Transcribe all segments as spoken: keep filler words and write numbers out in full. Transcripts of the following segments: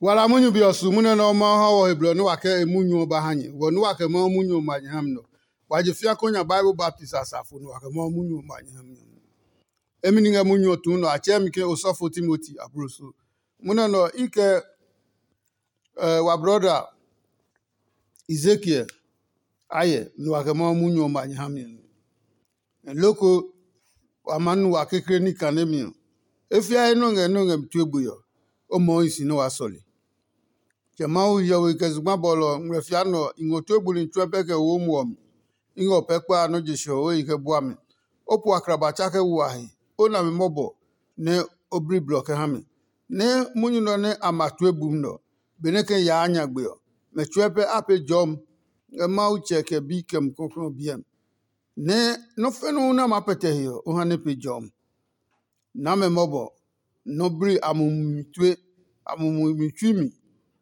Wala munyu be ɔ su munyu nɛ ɔ Mawu ha wɔ he blɔ nɛ wa kɛ e munyu ɔ ba ha nyɛ. Wɔ nɛ wa kɛ Mawu munyu ɔ ma nyɛ ha mi nɔ. Wa je fia ko nya Bible baptist asafo nɛ wa kɛ Mawu munyu ɔ ma nyɛ ha mi nɔ. Emi ni ngɛ munyu ɔ tuu nɔ, a tsɛɛ mi ke osɔfo Timoti abloso. Munɛ nɔ i kɛ eh, wa brɔda Ezekiel ayɛ nɛ wa kɛ Mawu munyu ɔ ma nyɛ ha mi. Loko wa maa nu wa kekle ní kane mi ɔ, e fiae nɔ́ ngɛ nɔ́ ngɛ mi tue gbe ɔ, o mɔɔ hi si nɛ waa sɔle. Kɛ Mawu hiɔwe kɛ zugba bɔlɔ ɔ ngmlɛ fia nɛ ɔ, i ngɔ tue buli tsuɛ pɛ kɛ wo muɔ mi. I ngɛ o pɛ kpa a nɔ́ je sɛ ɔ o yi kɛ bua mi. O po akraba tsa kɛ wo a he, o na mi mɔbɔ nɛ o bli blɔ kɛ ha mi. Nɛ munyu nɛ ɔ nɛ a ma tue bumi nɛ ɔ, benɛ kɛ yaa nyagbe ɔ, mɛ tsuɛ pɛ a pee jɔmi ngɛ Mawu Tsɛ kɛ Bi kɛ Mumi Klɔuklɔu ɔ biɛ mi. Nɛ nɔ́ fɛnuu nɛ a maa pɛtɛ he ɔ, o ha nɛ pe jɔmi. Naa mɛ mɔbɔ, nɔ́ bli a mumi tue, a mumi tsui mi,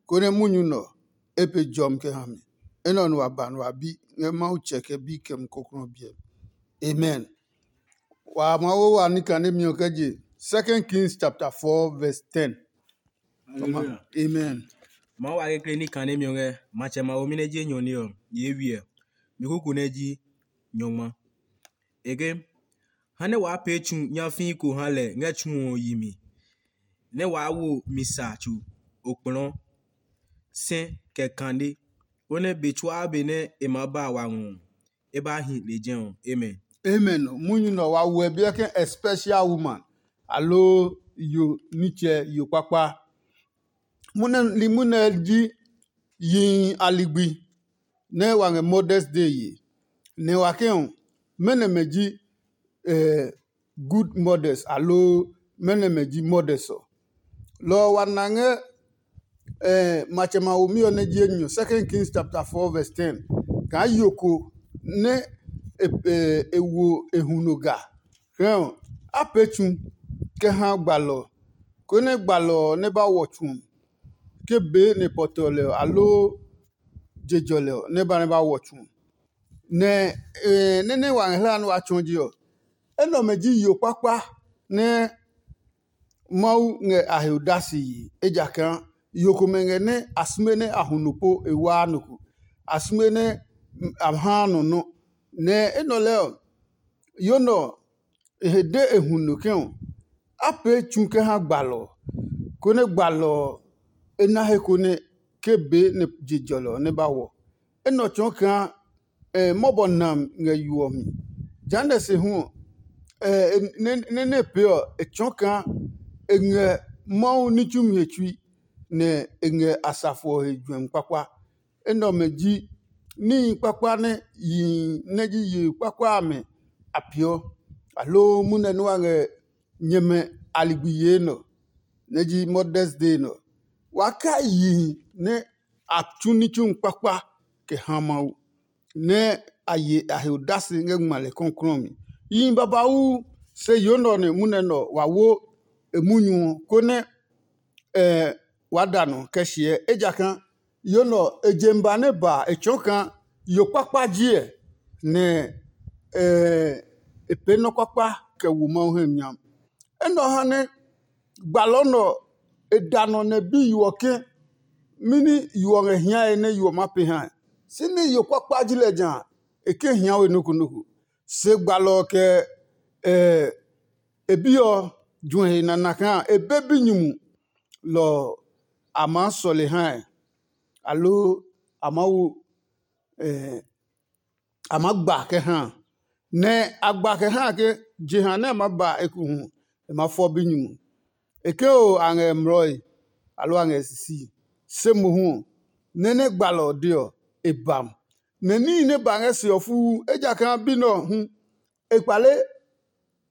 konɛ munyu nɛ ɔ, e pe jɔmi kɛ ha mi. Enɛ ɔ nɛ wa ba nɛ wa bi ngɛ Mawu Tsɛ kɛ Bi kɛ Mumi Klɔuklɔu ɔ biɛ mi. Amen. Wa maa wo wa ní kanemi ɔ kɛ je Second Kings chapter four verse ten. Hallelujah. Amen. Mawu wa kekle ní kanemi ɔ ngɛ matsɛ ma womi nɛ je nyɔ ní ɔ, yee wiɛ. Mi kuku nɛ ji nyɔngma. E ke, ha nɛ waa pee tsu nyafii ko ha lɛ ngɛ tsu ɔ yi mi, nɛ waa wo mi sa tsu okplɔɔ, sɛ, kɛ kane, konɛ be tsuaa be nɛ e maa ba wa ngɔ ɔ, e ba hi lejɛ ɔ. Amen. Amen. Munyu nɛ ɔ wa wuɛ biɛ ke a special woman, aloo yo nitsɛ yo kpakpa. Munɛ li munɛ ji yihi a ligbi nɛ wa ngɛ Mother's Day ye. Nɛ wa ke ɔ, mɛnɔ mɛ ji eh, good mothers aloo mɛnɔ mɛ ji mothers ɔ. Lɔ ɔ wa na ngɛ eh, matsɛ ma womi ɔ nɛ ji enyɔ, Second Kings chapter four verse ten, kaa yo ko nɛ e, e, e wo e huno ga. Hɛ ɔ, a pee tsu kɛ ha gbalɔ ɔ, konɛ gbalɔ ɔ nɛ ba wɔ tsu ɔ, ke bee nɛ pɔtɔ lɛ ɔ, aloo je jɔlɛ ɔ, nɛ ba nɛ ba wɔ tsu ɔ. Nɛ eh, nɛ́ nɛ wa ngɛ hlaa nɛ wa tsɔɔ je ɔ, enɛ ɔmɛ ji yo kpakpa nɛ Mawu ngɛ a he odase yi, ejakaa yo komɛ ngɛ nɛ a sume nɛ a hu nɔ po e waa nɔ ko, a sume nɛ a haa nɔ nɔ́. Nɛ enɛ ɔ lɛɛ ɔ, yo nɛ ɔ, e he de e hu no ke ɔ, a pee tsu kɛ ha gbalɔ ɔ, konɛ gbalɔ ɔ, e na he ko nɛ ke bee nɛ je jɔlɔ ɔ nɛ ba wɔ. Enɛ ɔ tsɔɔ kaa mɔbɔ nam ngɛ yo ɔ mi. Jehanɛ se hu ɔ, nɛ nɛ pee ɔ, e tsɔɔ kaa e ngɛ Mawu ní tsumi he tsui, nɛ e ngɛ asafo ɔ he juɛmi kpakpa. Enɛ ɔmɛ ji níhi kpakpa nɛ yihi nɛ ji yihi kpakpa amɛ a peeɔ, aloo munɛ nɛ wa ngɛ nyɛmɛ a ligbi yee nɛ ɔ, nɛ ji Mother's Day nɛ ɔ. Wa kai yihi nɛ a tsu ní tsumi kpakpa kɛ ha Mawu, nɛ a ye a he odase ngɛ ngma lɛ kɔklɔ ɔ mi. Yihi babauu, se yo nɛ ɔ nɛ munɛ nɛ ɔ wa wo e munyu ɔ, konɛ ɛ waa da nɔ kɛ hyɛɛ, ejakaa yo nɛ ɔ, e je mi ba nɛ ba a, e tsɔɔ kaa yo kpakpa ji ɛ, nɛ ɛ e pee nɔ́ kpakpa kɛ wo Mawu hɛ mi nyami. Enɛ ɔ ha nɛ gbalɔ nɛ ɔ, e da nɔ nɛ bi yo ɔ ke, mɛni yo ɔ ngɛ hiae nɛ yo ɔ maa pee hae? Si ní yo kpakpa ji lɛ ja a, e ke hia we nɔ́ ko nɔ́ ko. Se gbalɔ ɔ kɛ ɛ e bi ɔ juɛ he nana kaa e be binyumu lɔ ɔ, a maa sɔle hae, aloo a maa wo a maa gba kɛ ha a. Nɛ a gba kɛ ha a ke jeha nɛ a maa ba ekohu e maa fɔ binyumu. E ke oo a ngɛ mlɔe, aloo a ngɛ sisii. Se mohu ɔ, nɛ nɛ gbalɔ ɔ de ɔ, e ba mo. Nɛ níhi nɛ ba ngɛ se ɔ fuu, ejakaa bi nɛ ɔ hu e kpale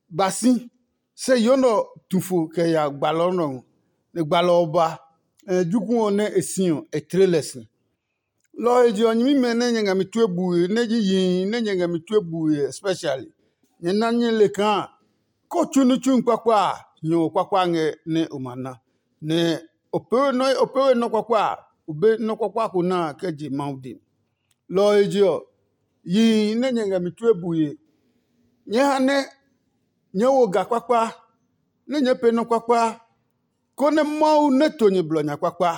ba si, se yo nɛ ɔ tu fo kɛ ya gbalɔ nɛ ɔ ngɔ, nɛ gbalɔ ɔ ba, nɛ jokuɛ ɔ nɛ e si ɔ, e tle lɛ si. Lɔ ɔ he je ɔ, nyɛmimɛ nɛ nyɛ ngɛ mi tue bue, nɛ ji yihi nɛ nyɛ ngɛ mi tue bue especially, nyɛ na nyɛ le kaa ko tsu ní tsumi kpakpa a, hiɔwo kpakpa ngɛ nɛ o ma na. Nɛ o pee we nɔ́ kpakpa a, o be nɔ́ kpakpa ko na a kɛ je Mawu dɛ mi. Lɔ ɔ he je ɔ, yihi nɛ nyɛ ngɛ mi tue bue, nyɛɛ ha nɛ nyɛɛ wo ga kpakpa, nɛ nyɛɛ pee nɔ́ kpakpa, konɛ Mawu nɛ to nyɛ blɔ nya kpakpa.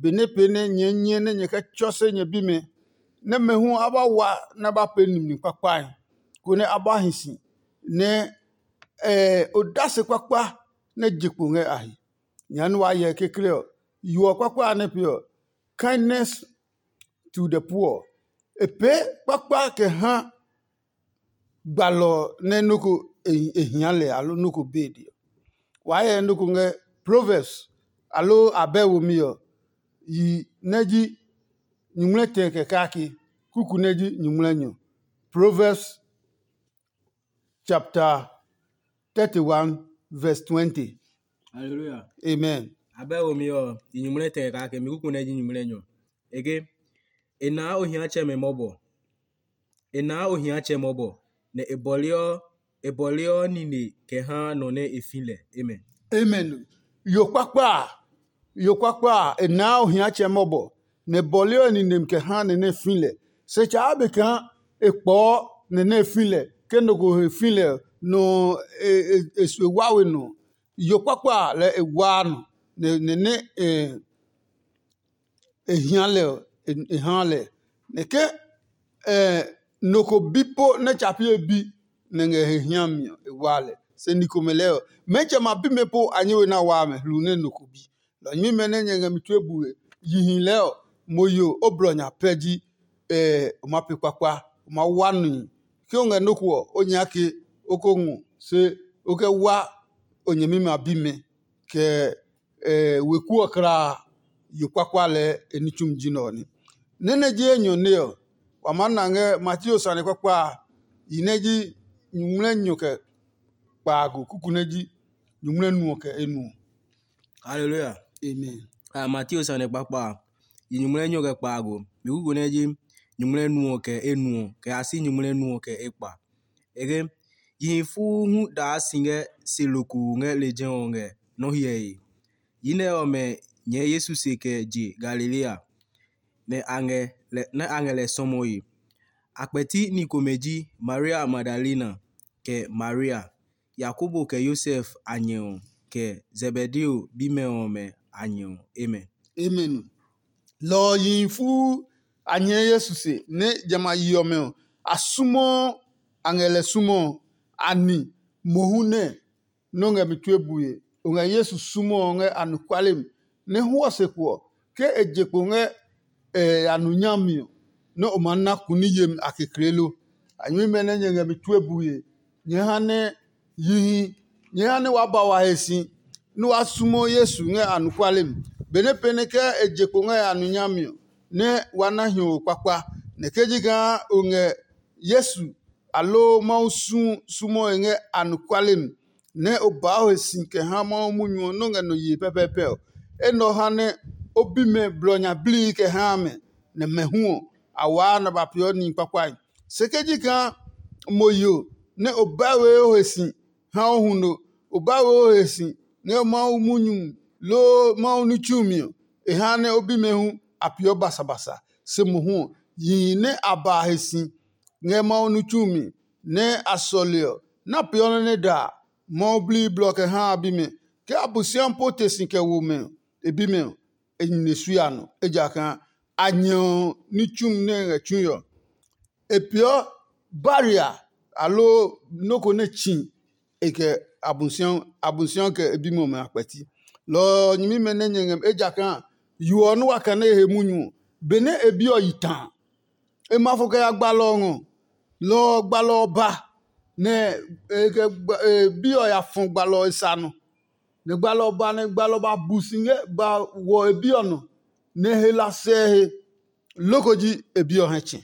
benɛ pee nɛ nyɛɛ nyɛ nɛ nyɛ kɛ tsɔ se nyɛ bimɛ, nɛ mɛ hu a ba wa nɛ a ba pee nimli kpakpae, konɛ a ba hi si, nɛ odase kpakpa nɛ je kpo ngɛ a he. Nya nɛ waa hyɛ kekle ɔ, yo ɔ kpakpa a nɛ pee ɔ, kindness to the poor. E pee kpakpa kɛ ha gbalɔ nɛ nɔ́ ko e hia lɛ aloo nɔ́ ko be de ɔ. Waa hyɛ nɔ́ ko ngɛ Proverbs aloo abɛ womi ɔ, yi nɛ ji nyuŋmlɛ tɛ kɛ kake, kuku nɛ ji nyuŋmlɛ nyɔ. Proverbs chapter thirty-one, verse twenty. Hallelujah. Amen. Abɛ womi ɔ, yi nyuŋmlɛ tɛ kɛ kake, mi kuku nɛ ji nyuŋmlɛ nyɔ. Ege, e naa ohiatsɛmɛ mɔbɔ. E naa ohiatsɛ mɔbɔ, nɛ e bɔleɔ e bɔleɔ nine kɛ haa nɔ nɛ e fi lɛ. Amen. Amen. Yo kpakpa a, yo kpakpa a, e naa ohiatsɛ mɔbɔ, nɛ e bɔleɔ ninem kɛ haa nɛ nɛ e fi lɛ. Se tsaa be kaa e kpɔɔ nɛ nɛ e fi lɛ, ke nɔ ko he fi lɛ ɔ, nɔ e, e, e sue wa we nɔ. Yo kpakpa a lɛ e waa nɔ, nɛ nɛ nɛ e e hia lɛ ɔ, e haa lɛ. Nɛ ke nɔ ko bi po nɛ tsa pi e bi nɛ ngɛ he hiami ɔ, e waa lɛ. Se ni komɛ lɛɛ ɔ, mɛɛ tsɛ ma bimɛ po a nyɛ we na waa mɛ hlu nɛ nɔ ko bi. Lɔ nyɛmimɛ nɛ nyɛ ngɛ mi tue bue, yihi lɛɛ ɔ, mo yo o blɔ nya pɛ ji o ma pe kpakpa, o ma wa nihi. Ke o ngɛ nɔ́ ko ɔ, o nyake o ko ngɔ, se o kɛ wa o nyɛmimɛ a bimɛ, kɛ weku ɔ kulaa yo kpakpa lɛɛ e ní tsumi ji nɛ ɔ nɛ. Nɛ́ nɛ ji enyɔ nɛ ɔ, wa maa na ngɛ Mateo sane kpakpa a, yi nɛ ji nyuŋmlɛ nyɔ kɛ kpaago, kuku nɛ ji nyuŋmlɛ nu ɔ kɛ enuɔ. Haleluya. Amen. A Mateo sane kpakpa a, yi nyuŋmlɛ nyɔ kɛ kpaago, mi kuku nɛ ji nyuŋmlɛ nu ɔ kɛ enuɔ, kɛ ya si nyuŋmlɛ nu ɔ kɛ ekpa. Ege, yihi fuu hu daa si ngɛ se lokoo ngɛ lejɛ ɔ ngɛ nɔ́ hyɛe. Yi nɛ ɔmɛ nyɛɛ Yesu se kɛ je Galilea, nɛ a ngɛ lɛ sɔmɔe. A kpɛti ni komɛ ji Maria Magdalena, kɛ Maria, Yakobo kɛ Yosef a nyɛ ɔ, kɛ Zebedeo bimɛ ɔmɛ a nyɛ ɔ. Amen. Amen. Lɔ ɔ yihi fuu a nyɛɛ Yesu se, nɛ jamɛ a yi ɔmɛ ɔ, a sumo a ngɛ lɛ sumo ɔ, a ni mohu nɛ nɔ́ ngɛ mi tue bue. O ngɛ Yesu sumo ɔ ngɛ anɔkuale mi, nɛ hwɔ se kpo ɔ, ke e je kpo ngɛ a nu nyami ɔ, nɛ o maa na kuni yemi a kekle lo. A nyɛmimɛ nɛ nyɛ ngɛ mi tue bue, nyɛɛ ha nɛ yihi, nyɛɛ ha nɛ waa ba wa he si, nɛ waa sumo Yesu ngɛ anɔkuale mi. Benɛ pɛ nɛ ke e je kpo ngɛ a nu nyami ɔ, nɛ waa na hiɔwo kpakpa. Nɛ ke ji kaa o ngɛ Yesu aloo Mawu sumu e ngɛ anɔkuale mi, nɛ o baa o he si kɛ ha Mawu munyu ɔ nɔ́ ngɛ nɔ yee pɛpɛɛpɛ ɔ, enɛ ɔ ha nɛ o bimɛ blɔ nya blii kɛ haa mɛ, nɛ mɛ hu ɔ, a waa nɛ ba peeɔ nihi kpakpae. Se ke ji kaa mo yo nɛ o ba we o he si ha o huno, o ba we o he si ngɛ Mawu munyu loo Mawu ní tsumi ɔ, e ha nɛ o bimɛ hu a peeɔ basabasa. Se mohu ɔ, yihi nɛ a ba he si ngɛ Mawu ní tsumi nɛ a sɔle ɔ, nɛ a peeɔ nɔ́ nɛ da a, Mawu blii blɔ kɛ haa a bimɛ. Ke Abosiami po te si kɛ wo mɛ ɔ, e bimɛ ɔ, e nine sue a nɔ, ejakaa a nyɛ ɔ ní tsumi nɛ e ngɛ tsui ɔ, e peeɔ baria aloo nɔ́ ko nɛ tsi e kɛ Abosiami kɛ e bimɛ ɔmɛ a kpɛti. Lɔ ɔ nyɛmimɛ nɛ nyɛ ngɛ mi, ejakaa yo ɔ nɛ wa kane e he munyu ɔ, benɛ e bi ɔ yi ta a, e ma fo kɛ ya gbalɔ ɔ ngɔ. Lɔ ɔ gbalɔ ɔ ba, nɛ e kɛ bi ɔ ya fɔ gbalɔ ɔ e sa nɔ. Nɛ gbalɔ ɔ ba nɛ gbalɔ ɔ ba bu si ngɛ ba wɔ e bi ɔ nɔ, nɛ e he la sɛ he. Loko ji e bi ɔ hɛ tsɛ.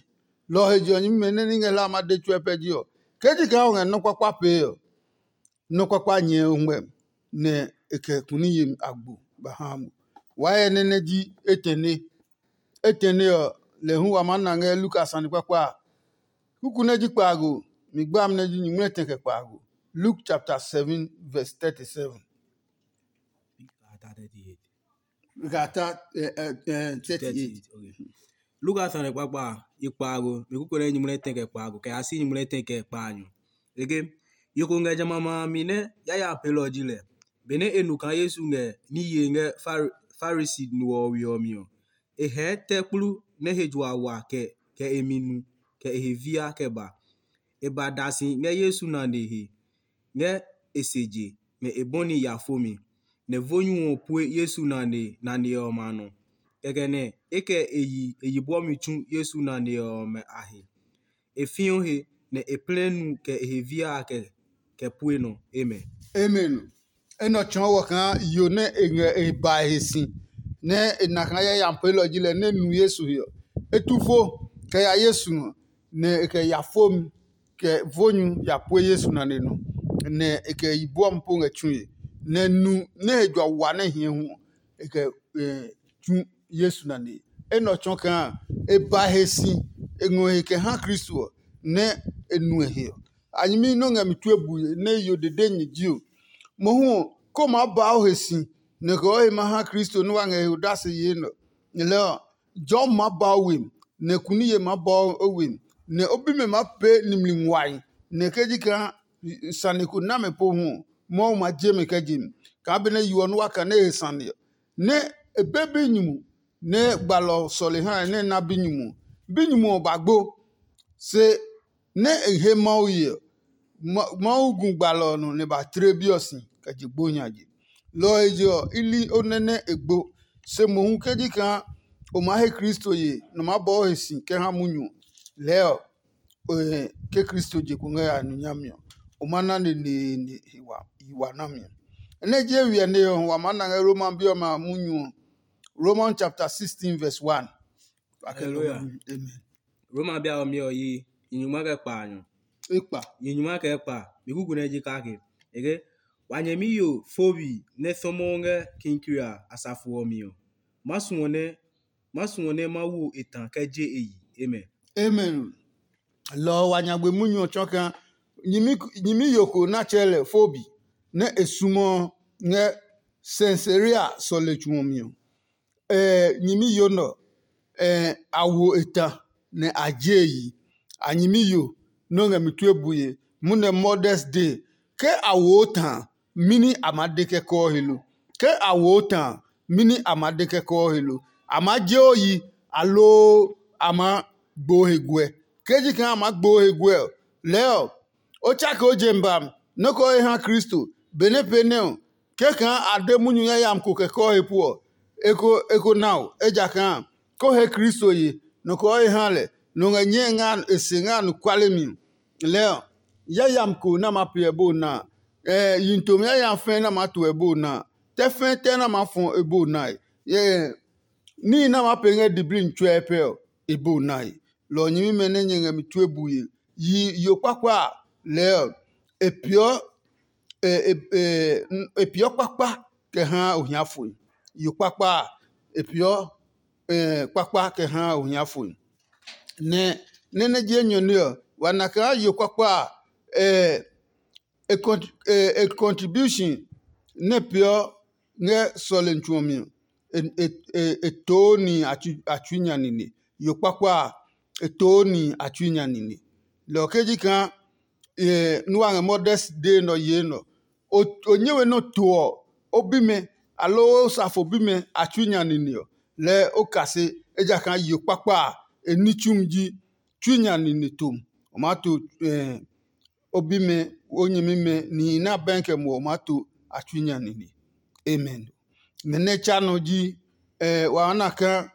Lɔ ɔ he je ɔ, nyɛmimɛ nɛ ní ngɛ hlaa ma de tsuɛ pɛ ji ɔ, ke ji kaa o ngɛ nɔ́ kpakpa pee ɔ, nɔ́ kpakpa nyɛɛ o ngmɛ, nɛ e kɛ kuni yemi agbo ba ha mo. Waa hyɛ nɛ nɛ ji etɛne. Etɛne ɔ, lɛ hu wa maa na ngɛ Luka sane kpakpa a. Kuku nɛ ji kpaago, mi gbami nɛ ji nyumu nɛ tɛ kɛ kpaago. Luke chapter seven, verse thirty-seven. Luka ta, eh, eh, eh, thirty-eight. Luka sane kpakpa a, i kpaago, mi kuku nɛ ji nyumu nɛ tɛ kɛ kpaago, kɛ ya si nyumu nɛ tɛ kɛ kpaanyɔ. Ege, yo ko ngɛ jamɛ a ma a mi nɛ yaya a peelɔ ji lɛ. Benɛ e nu kaa Yesu ngɛ ní yee ngɛ Fari-, Farisi no ɔ we ɔ mi ɔ, e hɛɛ tɛ kplu nɛ he jua wa kɛ kɛ e mi nu, kɛ e he via kɛ ba. E ba da si ngɛ Yesu nane he ngɛ e se je, nɛ e bɔni ya fo mi, nɛ vo nyu ɔ pue Yesu nane nane ɔmɛ a nɔ. Kɛkɛ nɛ e kɛ e yi e yi bwɔmi tsu Yesu nane ɔmɛ a he. E fiɔ he, nɛ e plɛ nu kɛ e he via a kɛ kɛ pue nɔ. Amen. Amen. Enɛ ɔ tsɔɔ wɔ kaa yo nɛ e ngɛ e ba e he si, nɛ e na kaa yayami peelɔ ji lɛ nɛ nu Yesu he ɔ. E tu fo kɛ ya Yesu ngɔ, nɛ e kɛ ya fomi kɛ vo nyu ya pue Yesu nane nɔ, nɛ e kɛ yi bua mi po ngɛ tsue, nɛ nu nɛ he jua wa nɛ hiɛ hu ɔ, e kɛ tsu Yesu nane. Enɛ ɔ tsɔɔ kaa e ba he si, e ngɔ he kɛ ha Kristo ɔ, nɛ e nuɛ he ɔ. A nyɛmi nɔ́ ngɛ mi tue bue nɛ yo dede nyɛ ji ɔ, mohu ɔ, ko maa ba o he si, nɛ kɛ o he ma ha Kristo nɛ wa ngɛ he odase yee nɛ ɔ. Nyɛ lɛɛ ɔ, jɔmi maa ba o we mi, nɛ kuniye maa ba o we mi, nɛ o bimɛ maa pee nimli nguahi, nɛ ke ji kaa sane ko na mɛ pohu ɔ, Mawu ma je mɛ kɛ je mi, kaa benɛ yo ɔ nɛ wa kane he sane ɔ. Nɛ e be binyumu nɛ gbalɔ ɔ sɔle hae nɛ e na binyumu ɔ. Binyumu ɔ ba gbo, se nɛ e he Mawu ye ɔ, Mawu gu gbalɔ ɔ nɔ nɛ ba tle bi ɔ si kɛ je gbo nya je. Lɔ ɔ he je ɔ, i li o nɛ nɛ e gbo. Se mohu ke ji kaa o maa he Kristo ye nɛ o maa bɔɔ he si kɛ ha munyu ɔ, lɛɛ ɔ, ke Kristo je kpo ngɛ ya nɔ nyami ɔ, o ma na neneene yi wa nami ɔ. Nɛ je wiɛ ne ɔ, wa maa na ngɛ Roma bi ɔmɛ a munyu ɔ. Romans chapter sixteen verse one. Hallelujah. Amen. Roma bi a ɔ mi ɔ yi nyunyuma kɛ kpa a nyɔ. Ekpa. Nyunyuma kɛ kpa mi kuku nɛ ji kake. Eke wa nyɛmi yo fobi nɛ sɔmɔ ngɛ kinkiri a asafo ɔ mi ɔ, ma suɔ nɛ ma suɔ nɛ ma wo e ta kɛ je e yi. Amen. Amen. Lɔ ɔ wa nyagbe munyu ɔ tsɔ kaa nyimi yo ko nɛ a tsɛɛ lɛ Fobi nɛ e sumɔ ngɛ Sɛnsarea sɔle tsu ɔ mi ɔ. Nyimi yo nɛ ɔ, a wo e ta nɛ a je e yi. A nyimi yo nɛ ɔ ngɛ mi tue bue, munɛ Modest Day. Ke a wo o ta a, mɛni a maa de kɛ kɔɔ he lo? Ke a wo o ta a, mɛni a maa de kɛ kɔɔ he lo? A maa je o yi, aloo a maa gbo o he guɛ? Ke ji kaa a maa gbo o he guɛ ɔ, lɛɛ ɔ, o tsake o je mi ba mi, nɔ́ kɛ o he ha Kristo. Benɛ pee nɛ ɔ, ke kaa a de munyu yayami ko kɛ kɔɔ he pu ɔ, e ko na o, ejakaa ko he Kristo ye, nɔ kɛ o he ha lɛ, nɔ ngɛ nyɛe ngɛ e se ngɛ anɔkuale mi. Lɛɛ ɔ, yayami ko nɛ a maa pee ɔ ebo na a, yi nitomi yayami fɛɛ nɛ a maa to ɔ ebo na a, tɛ fɛɛ tɛ nɛ a maa fɔ ɔ ebo nae. Níhi nɛ a maa pee ngɛ diblii nitsɔɔe pɛ ɔ, ebo nae. Lɔ ɔ nyɛmimɛ nɛ nyɛ ngɛ mi tue bue, yi yo kpakpa a, lɛɛ ɔ, e peeɔ e peeɔ kpakpa kɛ haa ohiafoe. Yo kpakpa a, e peeɔ kpakpa kɛ haa ohiafoe. Nɛ nɛ nɛ ji enyɔne ɔ, wa na kaa yo kpakpa a, e contribution nɛ peeɔ ngɛ sɔlemi tsu ɔ mi ɔ, e too nihi a tsui nya nine. Yo kpakpa a, e too nihi a tsui nya nine. Lɔ ɔ ke ji kaa nú wa ngɛ Modest Day nɛ ɔ yee nɛ ɔ, o nyɛ we nɛ o to ɔ, o bimɛ aloo o safo bimɛ a tsui nya nine ɔ, lɛɛ o kase, ejakaa yo kpakpa a, e ní tsumi ji tsui nya nine tom. O maa to o bimɛ, o nyɛmimɛ, nihi nɛ a bɛɛ kɛ muɔ, o maa to a tsui nya nine. Amen. Nɛ nɛ tsa nɔ ji wa na kaa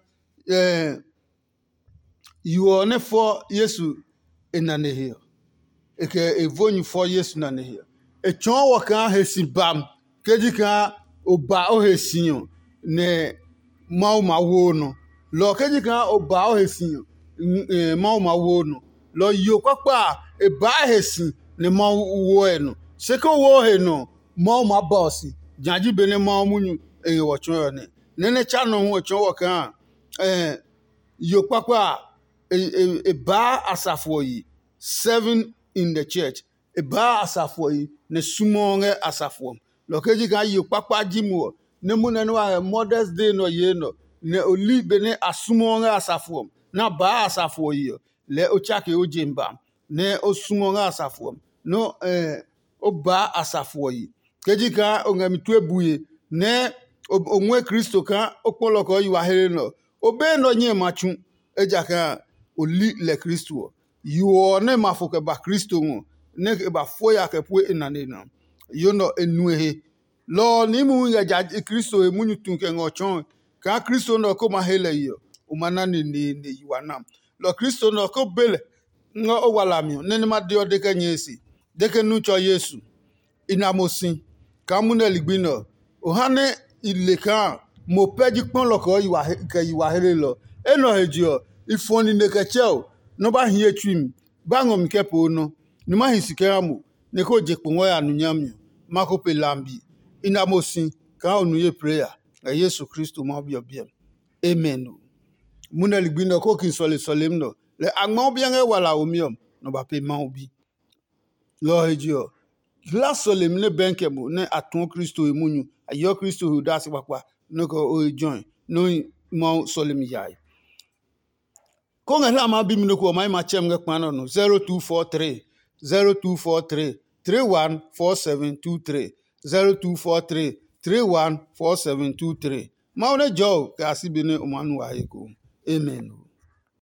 yo ɔ nɛ fɔ Yesu e nane he ɔ, e kɛ e vo nyu fɔ Yesu nane he ɔ, e tsɔɔ wɔ kaa he si bam. Ke ji kaa o ba o he si ɔ, nɛ Mawu ma wo o nɔ. Lɔ ɔ ke ji kaa o ba o he si ɔ, Mawu ma wo o nɔ. Lɔ ɔ yo kpakpa a, e baa he si nɛ Mawu woɔ e nɔ. Se ke o wo o he nɔ ɔ, Mawu maa ba o si. Jã ji benɛ Mawu munyu e ngɛ wɔ tsɔɔe ɔ nɛ. Nɛ nɛ tsa nɔ hu e tsɔɔ wɔ kaa yo kpakpa a, e baa asafo ɔ yi, serving in the church. E baa asafo ɔ yi nɛ sumɔɔ ngɛ asafo ɔ mi. Lɔ ɔ ke ji kaa yo kpakpa ji mo ɔ, nɛ munɛ nɛ wa ngɛ Modest Day nɛ ɔ yee nɛ ɔ, nɛ o li benɛ a sumɔɔ ngɛ asafo ɔ mi, nɛ a baa asafo ɔ yi ɔ, lɛɛ o tsake o je mi ba, nɛ o sumɔɔ ngɛ asafo ɔ mi, nɛ o baa asafo ɔ yi. Ke ji kaa o ngɛ mi tue bue nɛ o ngɔɛ Kristo kaa o kpɔ lɔ kɛ o yi wa hle nɛ ɔ, o be nɛ ɔ nyɛe ma tsu, ejakaa o li lɛ Kristo ɔ. Yo ɔ nɛ ma fo kɛ ba Kristo ngɔ, nɛ e ba fo ya kɛ pue e nane ɔ, yo nɛ ɔ e nue he. Lɔ ɔ, niimi hu ngɛ ja Kristo he munyu tu kɛ ngɛ ɔ tsɔɔe kaa Kristo nɛ ɔ ko ma he lɛ yi ɔ, o ma na neneene yi wa na. Lɔ Kristo nɛ ɔ ko be lɛ ngɛ o walami ɔ, nɛ nɛ ma de ɔ de kɛ nyɛe se, de ke nu tsɔ Yesu. I na mo si kaa munɛ ligbi nɛ ɔ, o ha nɛ i le kaa mo pɛ ji kpɔlɔ kɛ yi wa hlelɔ. Enɛ ɔ he je ɔ, i fɔ nine kɛ tsɛ o, nɔ́ ba hie tsui mi, ba ngɔ mi kɛ poo nɔ, ni ma hi si kɛ ha mo, nɛ ko je kpo ngɔ ya nu nyami ɔ, ma ko pe lambi. I na mo si kaa o nu ye plee ya, ngɛ Yesu Kristo Mawu Bi ɔ biɛ mi. Amen o. Munɛ ligbi nɛ ɔ ko ki sɔle sɔlemi nɛ ɔ, lɛ a ngma o biɛ ngɛ wala womi ɔ, nɔ ba pe Mawu Bi. Lɔ ɔ he je ɔ, hla sɔlemi nɛ bɛnkɛ mo nɛ a tuɔ Kristo he munyu, a yeɔ Kristo he odase kpakpa, nɔ́ kɛ o he jɔe, nɔ́ hi Mawu sɔlemi yae. Ko ngɛ hla maa bi mi nɔ ko ɔ, ma yi ma tsɛ mi ngɛ kpa nɛ ɔ nɔ, zero two four three, zero two four three, three one four seven two three, zero two four three, three one four seven two three. Mawu nɛ jɔ o kɛ a si be nɛ o maa nu wa he ko. Amen.